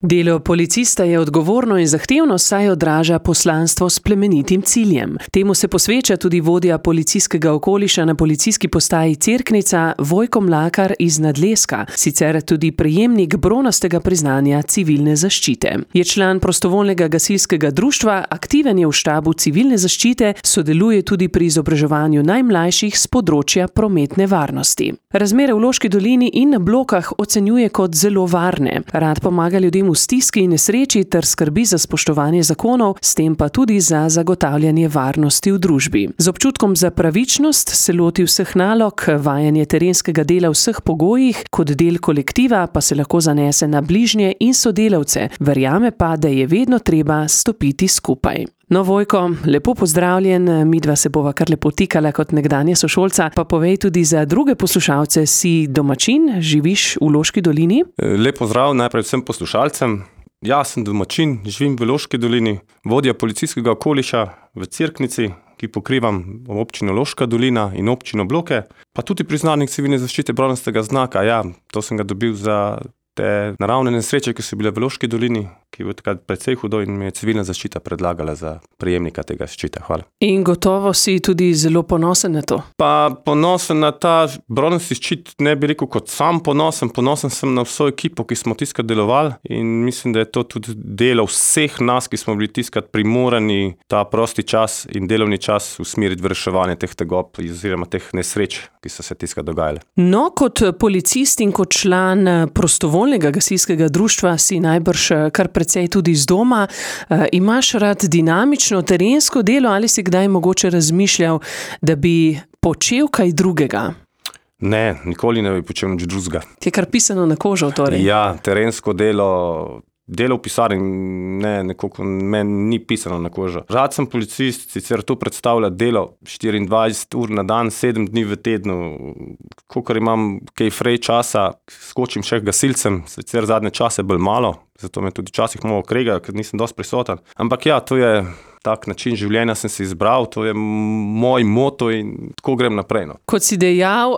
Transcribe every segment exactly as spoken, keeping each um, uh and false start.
Delo policista je odgovorno in zahtevno, saj odraža poslanstvo s plemenitim ciljem. Temu se posveča tudi vodja policijskega okoliša na policijski postaji Cerknica Vojko Mlakar iz Nadleska, sicer tudi prejemnik bronastega priznanja civilne zaščite. Je član prostovoljnega gasilskega društva, aktiven je v štabu civilne zaščite, sodeluje tudi pri izobraževanju najmlajših s področja prometne varnosti. Razmere v Loški dolini in na Blokah ocenjuje kot zelo varne. Rad pomaga ljudem v stiski in nesreči ter skrbi za spoštovanje zakonov, s tem pa tudi za zagotavljanje varnosti v družbi. Z občutkom za pravičnost se loti vseh nalog, vajanje terenskega dela v vseh pogojih, kot del kolektiva pa se lahko zanese na bližnje in sodelavce, verjame pa, da je vedno treba stopiti skupaj. No, Vojko, lepo pozdravljen, midva se bova kar lepo tikala kot nekdanja sošolca, pa povej tudi za druge poslušalce, si domačin, živiš v Loški dolini? Lep pozdrav najprej vsem poslušalcem. Ja, sem domačin, živim v Loški dolini, vodja policijskega okoliša v Cerknici, ki pokrivam občino Loška dolina in občino Bloke, pa tudi priznanik civilne zaščite bronastega znaka. Ja, to sem ga dobil za te naravne nesreče, ki so bile v Loški dolini, ki je takrat precej hudo in mi je civilna zaščita predlagala za prejemnika tega ščita. Hvala. In gotovo si tudi zelo ponosen na to. Pa ponosen na ta bronasti ščit, ne bi rekel kot sam ponosen, ponosen sem na vso ekipo, ki smo tiskrat delovali in mislim, da je to tudi delo vseh nas, ki smo bili tiskrat primorani ta prosti čas in delovni čas usmeriti v reševanje teh tegob oziroma teh nesreč, ki so se tiskrat dogajale. No, kot policist in kot član prostovoljnega gasilskega društva si najbrž kar precej tudi z doma. E, imaš rad dinamično terensko delo ali si kdaj mogoče razmišljal, da bi počel kaj drugega? Ne, nikoli ne bi počel nič drugega. Ti je kar pisano na kožo, torej? Ja, terensko delo, delo v pisarni, ne, nekako meni ni pisano na kožo. Rad sem policist, sicer to predstavlja delo štiriindvajset ur na dan, sedem dni v tednu. Kakor imam kaj frej časa, skočim še gasilcem, sicer zadnje čase bolj malo, zato me tudi včasih malo krega, ker nisem dosti prisoten. Ampak ja, to je tak način življenja sem si izbral, to je moj moto in tako grem naprej. No. Kot si dejal,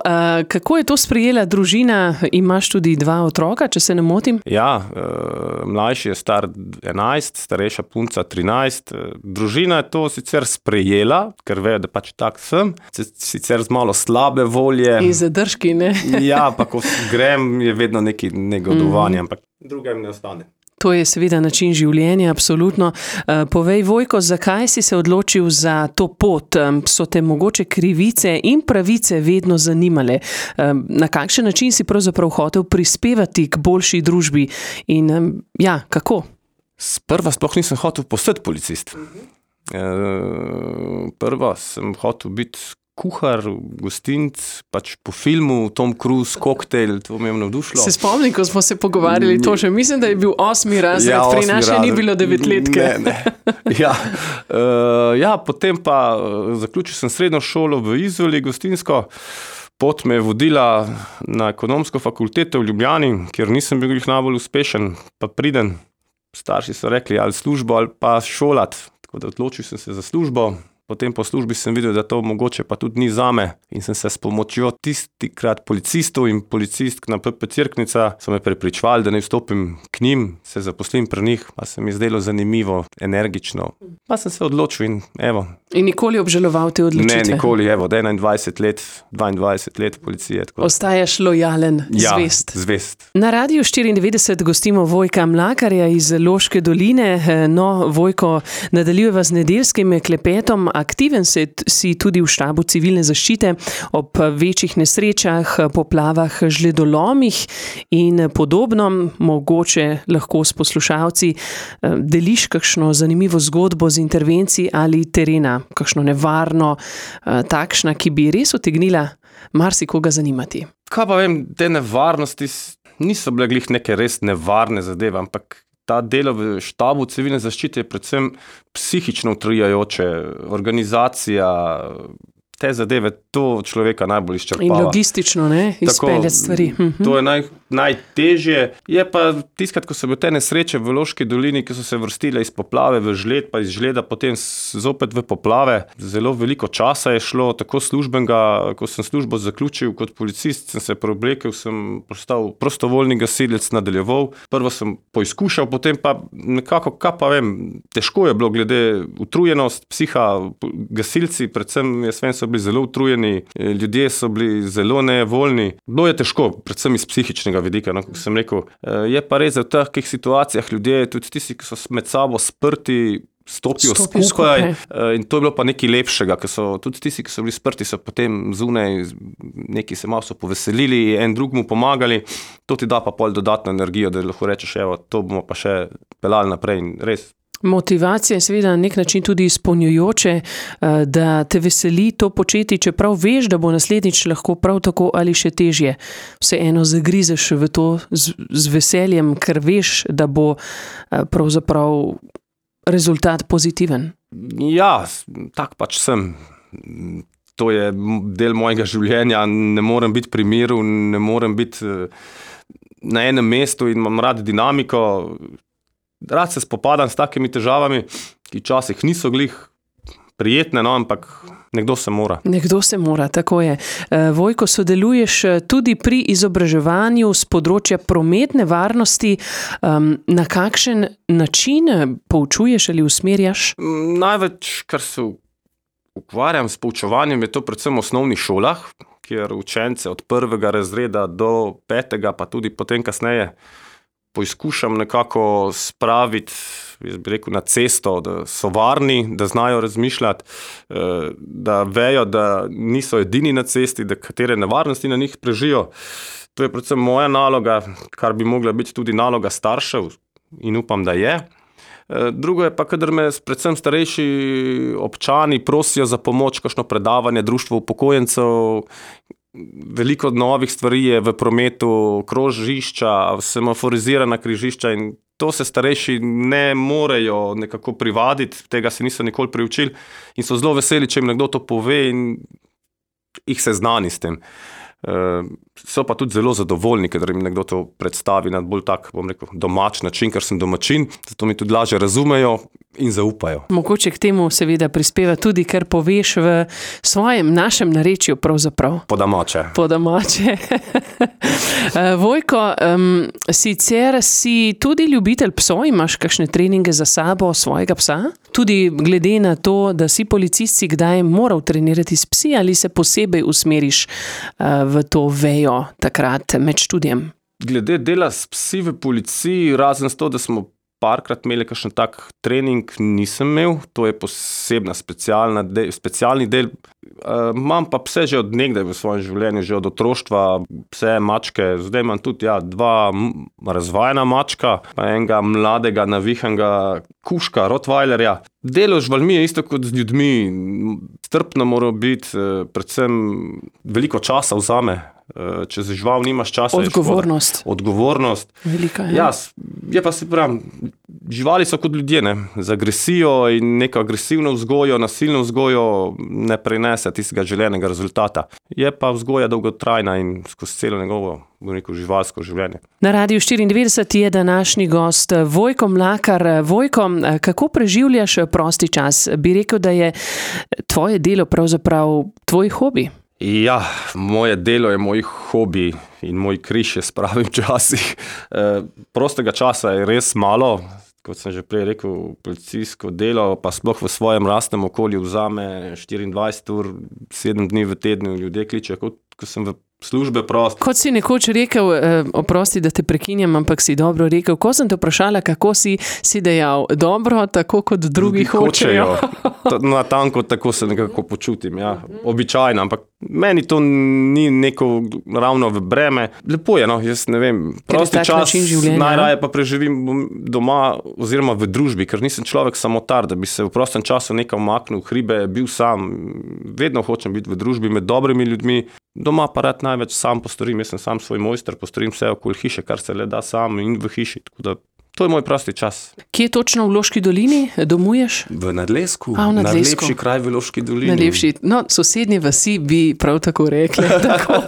kako je to sprejela družina? Imaš tudi dva otroka, če se ne motim? Ja, mlajši je star enajst, starejša punca trinajst. Družina je to sicer sprejela, ker ve, da pač tak sem, sicer z malo slabe volje. In zadržki, ne? Ja, pa ko grem, je vedno neki negodovanje, mm. ampak drugem ne ostane. To je seveda način življenja, absolutno. Povej, Vojko, zakaj si se odločil za to pot? So te mogoče krivice in pravice vedno zanimale? Na kakšen način si pravzaprav hotel prispevati k boljši družbi? In ja, kako? Sprva sploh nisem hotel postati policist. Prva sem hotel biti kuhar, gostinc, pač po filmu Tom Cruise, Koktajl, to me je navdušilo. Se spomnim, ko smo se pogovarjali to še, mislim, da je bil osmi razred, ja, pri nas še ni bilo devetletke. Ne, ne. Ja. Uh, ja, potem pa zaključil sem srednjo šolo v Izoli, gostinsko. Pot me je vodila na ekonomsko fakulteto v Ljubljani, kjer nisem bil najbolj uspešen, pa priden. Starši so rekli, ali službo, ali pa šolat. Tako da odločil sem se za službo. Potem po službi sem videl, da to mogoče pa tudi ni zame in sem se s pomočjo tistikrat policistov in policistk na P P Cerknica so me prepričvali, da ne vstopim k njim, se zaposlim pri njih, pa se mi je zdelo zanimivo, energično. Pa sem se odločil in evo. In nikoli obžaloval te odločitve? Ne, nikoli, evo, od enaindvajset let, dvaindvajset let policije. Tako. Ostajaš lojalen, ja, zvest. zvest. Na Radiu štiriindevetdeset gostimo Vojka Mlakarja iz Loške doline. No, Vojko, nadaljujeva z nedeljskim klepetom. Aktiven si tudi v štabu civilne zaščite ob večjih nesrečah, poplavah, žledolomih in podobno. Mogoče lahko s poslušalci deliš kakšno zanimivo zgodbo z intervencij ali terena, kakšno nevarno, takšna, ki bi res utegnila marsikoga zanimati. Kaj pa vem, te nevarnosti niso bile glih neke res nevarne zadeve, ampak ta delo v štabu civilne zaščite je predvsem psihično utrijajoče, organizacija, te zadeve, to človeka najbolj izčrpava. In logistično, ne, izpeljati stvari. To je naj, najtežje. Je pa tiskrat, ko so bile te nesreče v Loški dolini, ki so se vrstile iz poplave v žled, pa iz žleda potem zopet v poplave. Zelo veliko časa je šlo, tako službenega, ko sem službo zaključil kot policist, sem se preoblekel, sem postal prostovoljni gasilec, nadaljeval. Prvo sem poizkušal, potem pa nekako, kaj pa vem, težko je bilo glede utrujenost, psiha, gasilci, predvsem jaz vem, so bili zelo utrujeni, ljudje so bili zelo nevoljni. Bilo je težko, predvsem iz psihičnega vidika, no, kot sem rekel. Je pa res, da v takih situacijah ljudje, tudi tisti, ki so med sabo sprti, stopijo Stopi skupaj, skupaj in to je bilo pa nekaj lepšega, ker so tudi tisti, ki so bili sprti, so potem zunaj, neki se malo so poveselili, en drugmu pomagali, to ti da pa pol dodatno energijo, da lahko rečeš, evo, to bomo pa še pelali naprej in res. Motivacija je seveda na nek način tudi izpolnjujoče, da te veseli to početi, čeprav veš, da bo naslednjič lahko prav tako ali še težje. Vseeno zagrizeš v to z, z veseljem, ker veš, da bo pravzaprav rezultat pozitiven. Ja, tak pač sem. To je del mojega življenja, ne morem biti pri miru, ne morem biti na enem mestu in imam rad dinamiko. Rad se spopadam s takimi težavami, ki včasih niso glih prijetne, no, ampak nekdo se mora. Nekdo se mora, tako je. Vojko, sodeluješ tudi pri izobraževanju z področja prometne varnosti. Na kakšen način poučuješ ali usmerjaš? Največ, kar se ukvarjam s poučevanjem, je to predvsem v osnovnih šolah, kjer učence od prvega razreda do petega, pa tudi potem kasneje, poizkušam nekako spraviti, jaz bi rekel, na cesto, da so varni, da znajo razmišljati, da vejo, da niso edini na cesti, da katere nevarnosti na njih prežijo. To je predvsem moja naloga, kar bi mogla biti tudi naloga staršev in upam, da je. Drugo je pa, kadar me predvsem starejši občani prosijo za pomoč, kakšno predavanje, društvo upokojencev. Veliko novih stvari je v prometu, krožišča, semaforizirana križišča in to se starejši ne morejo nekako privaditi, tega se niso nikoli priučili in so zelo veseli, če jim nekdo to pove in jih seznani s tem. So pa tudi zelo zadovoljni, kadar jim nekdo to predstavi na bolj tak, bom rekel, domač način, ker sem domačin, zato mi tudi lažje razumejo in zaupajo. Mogoče k temu seveda prispeva tudi, ker poveš v svojem, našem narečju pravzaprav. Po domače. Po domače. Vojko, um, sicer si tudi ljubitelj psov, imaš kakšne treninge za sabo svojega psa? Tudi glede na to, da si policist, si kdaj moral trenirati s psi ali se posebej usmeriš uh, v to vejo takrat med študijem? Glede dela s psi v policiji, razen s to, da smo parkrat imeli kakšen tak trening, nisem imel. To je posebna specialna del, specialni del. E, imam pa pse že od nekdaj v svojem življenju, že od otroštva, pse, mačke. Zdaj imam tudi ja, dva razvajena mačka, pa enega mladega, navihanega kužka, rottweilerja. Delo z živalmi je isto kot z ljudmi. Strpno mora biti, predvsem veliko časa vzame. Če za žival nimaš časa, odgovornost. Je odgovornost. Velika, ja. Ja, je pa se pravim, živali so kot ljudje, ne? Z agresijo in neko agresivno vzgojo, nasilno vzgojo ne prinese tistega želenega rezultata. Je pa vzgoja dolgotrajna in skozi celo njegovo, bom rekel, živalsko življenje. Na Radiu štiriindevetdeset je današnji gost Vojko Mlakar. Vojko, kako preživljaš prosti čas? Bi rekel, da je tvoje delo pravzaprav tvoj hobi? Ja, moje delo je moj hobi in moj križ, je spravim včasih. E, prostega časa je res malo, kot sem že prej rekel, policijsko delo, pa sploh v svojem lastnem okolju vzame štiriindvajset ur, sedem dni v tednu, ljudje kličejo, kot ko sem v službe prost. Kot si nekoč rekel, eh, oprosti, da te prekinjam, ampak si dobro rekel, ko sem te vprašala, kako si, si dejal, dobro, tako kot drugi, drugi hočejo. Na tanko tako se nekako počutim, ja, običajno, ampak meni to ni neko ravno v breme. Lepo je, no, jaz ne vem, prosti čas najraje pa preživim doma oziroma v družbi, ker nisem človek samotar, da bi se v prostem času nekaj umaknil, hribe, bil sam. Vedno hočem biti v družbi med dobrimi ljudmi. Doma pa rad največ sam postorim, jaz sem sam svoj mojster, postorim vse okoli hiše, kar se le da sam in v hiši, tako da To je moj prosti čas. Kje točno v Loški dolini domuješ? V Nadlesku. A, v Nadlesku. Najlepši kraj v Loški dolini. Najlepši. No, sosednje vasi bi prav tako rekli. Tako.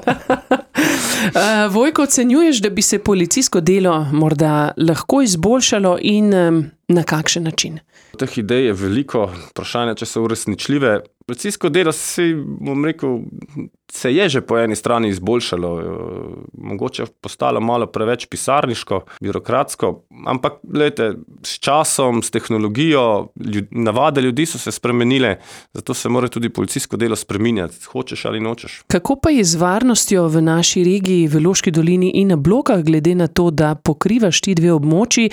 Uh, Vojko, ocenjuješ, da bi se policijsko delo morda lahko izboljšalo in um, na kakšen način? Teh idej je veliko, vprašanje, če so uresničljive. Policijsko delo si, bom rekel, se je že po eni strani izboljšalo. Mogoče postalo malo preveč pisarniško, birokratsko, ampak gledajte, s časom, s tehnologijo, ljud, navade ljudi so se spremenile, zato se mora tudi policijsko delo spreminjati, hočeš ali nočeš. Kako pa je z varnostjo v naši regiji, v Loški dolini in na Blokah, glede na to, da pokrivaš ti dve območji?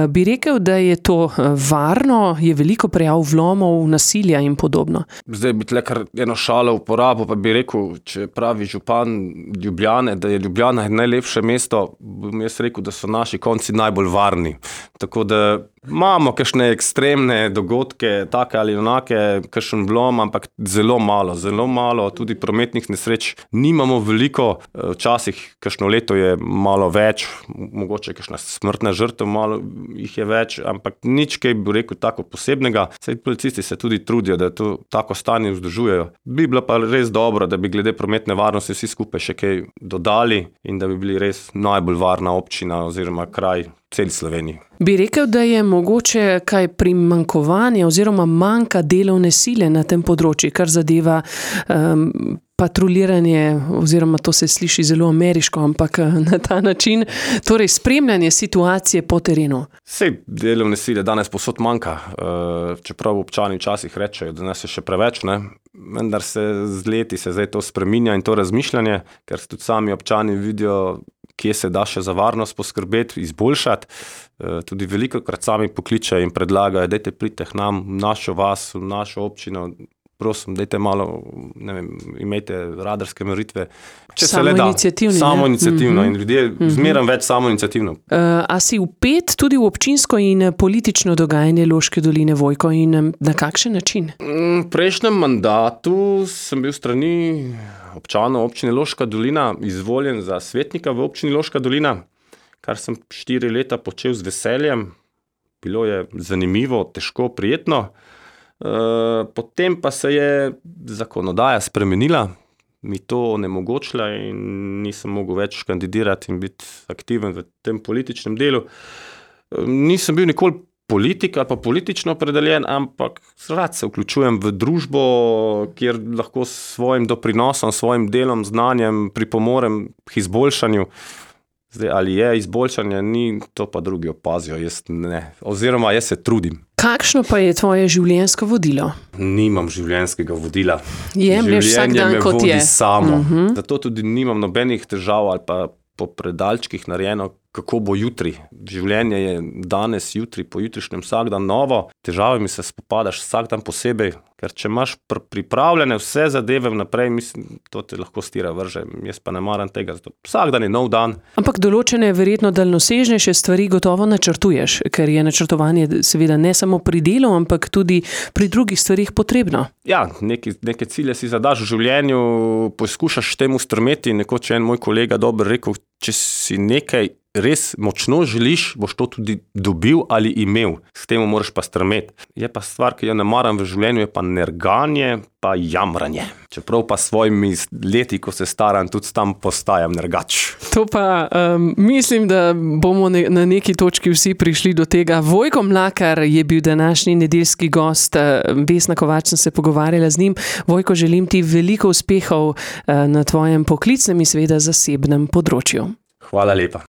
Bi rekel, da je to varno, je veliko prijav vlomov, nasilja in podobno? Zdaj bi tle kar eno šalo uporabo, pa bi rekel, če pravi župan Ljubljane, da je Ljubljana najlepše mesto, bom jaz rekel, da so naši konci najbolj varni. Tako da imamo kakšne ekstremne dogodke, take ali onake, kakšen vlom, ampak zelo malo, zelo malo, tudi prometnih nesreč nimamo veliko, včasih kakšno leto je malo več, mogoče kakšna smrtna žrtev, malo jih je več, ampak nič kaj bi rekel tako posebnega. Saj policisti se tudi trudijo, da to tako stanje vzdržujejo. Bi bilo pa res dobro, da bi glede prometne varnosti vsi skupaj še kaj dodali in da bi bili res najbolj varna občina oziroma kraj celi Sloveniji. Bi rekel, da je mogoče kaj primanjkovanje oziroma manjka delovne sile na tem področju, kar zadeva um, patruljiranje, oziroma to se sliši zelo ameriško, ampak na ta način, torej spremljanje situacije po terenu. Sej delovne sile danes povsod manjka, čeprav občani včasih rečejo, da nas je še preveč, ne? Vendar se z leti se zdaj to spreminja in to razmišljanje, ker tudi sami občani vidijo, kje se da še za varnost poskrbeti, izboljšati. Tudi veliko krat sami pokličejo in predlagajo, dajte pridite k nam, v našo vas, v našo občino, prosim, dajte malo, ne vem, imejte radarske meritve. Samo iniciativno. Samo iniciativno in ljudje mm-hmm. zmeram več samo iniciativno. Uh, a si vpet tudi v občinsko in politično dogajanje Loške doline, Vojko, in na kakšen način? V prejšnjem mandatu sem bil strani občanov občine Loška dolina izvoljen za svetnika v občini Loška dolina, kar sem štiri leta počel z veseljem. Bilo je zanimivo, težko, prijetno. Uh, potem pa se je zakonodaja spremenila, mi to onemogočila in nisem mogel več kandidirati in biti aktiven v tem političnem delu. Uh, nisem bil nikoli politik ali pa politično opredeljen, ampak rad se vključujem v družbo, kjer lahko s svojim doprinosom, svojim delom, znanjem pripomorem k izboljšanju. Zdaj, ali je izboljšanje, ni, to pa drugi opazijo, jaz ne. Oziroma, jaz se trudim. Kakšno pa je tvoje življenjsko vodilo? Nimam življenjskega vodila. Jemlješ vsak dan, kot je. Življenje me vodi samo. Uh-huh. Zato tudi nimam nobenih težav ali pa po predalčkih narejeno, kako bo jutri. Življenje je danes, jutri, po jutrišnjem vsak dan novo. Težavami se spopadaš vsak dan posebej, ker če imaš pr- pripravljene vse zadeve vnaprej, mislim, to te lahko stira vrže. Jaz pa ne maram tega, zato vsak dan je nov dan. Ampak določene verjetno daljnosežnejše stvari gotovo načrtuješ, ker je načrtovanje seveda ne samo pri delu, ampak tudi pri drugih stvarih potrebno. Ja, neki, neke cilje si zadaš v življenju, poskušaš temu strmeti. Nekoč je en moj kolega dobro rekel, če si nekaj res močno želiš, boš to tudi dobil ali imel. S tem moraš pa strmeti. Je pa stvar, ki jo ne maram v življenju, je pa nerganje, pa jamranje. Čeprav pa svojimi leti, ko se staram, tudi tam postajam nergač. To pa um, mislim, da bomo ne, na neki točki vsi prišli do tega. Vojko Mlakar je bil današnji nedeljski gost. Vesna Kovač, sem se pogovarjala z njim. Vojko, želim ti veliko uspehov uh, na tvojem poklicnem in seveda zasebnem področju. Hvala lepa.